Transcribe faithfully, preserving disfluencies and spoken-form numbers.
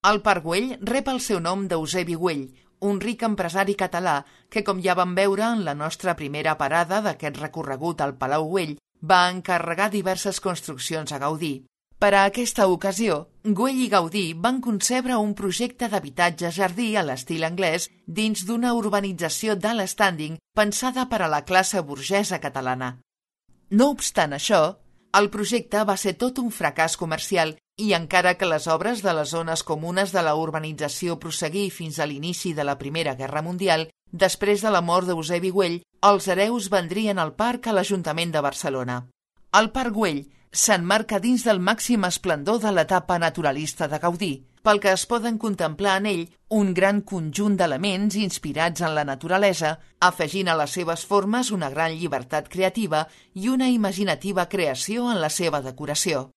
El Parc Güell rep el seu nom d'Eusebi Güell, un ric empresari català que, com ja vam veure en la nostra primera parada d'aquest recorregut al Palau Güell, va encarregar diverses construccions a Gaudí. Per a aquesta ocasió, Güell i Gaudí van concebre un projecte d'habitatge-jardí a l'estil anglès dins d'una urbanització d'alt standing pensada per a la classe burgesa catalana. No obstant això, el projecte va ser tot un fracàs comercial i encara que les obres de les zones comunes de la urbanització prosseguí fins a l'inici de la Primera Guerra Mundial, després de la mort d'Eusebi Güell, els hereus vendrien el parc a l'Ajuntament de Barcelona. El Parc Güell s'emmarca dins del màxim esplendor de l'etapa naturalista de Gaudí, pel que es poden contemplar en ell un gran conjunt d'elements inspirats en la naturalesa, afegint a les seves formes una gran llibertat creativa i una imaginativa creació en la seva decoració.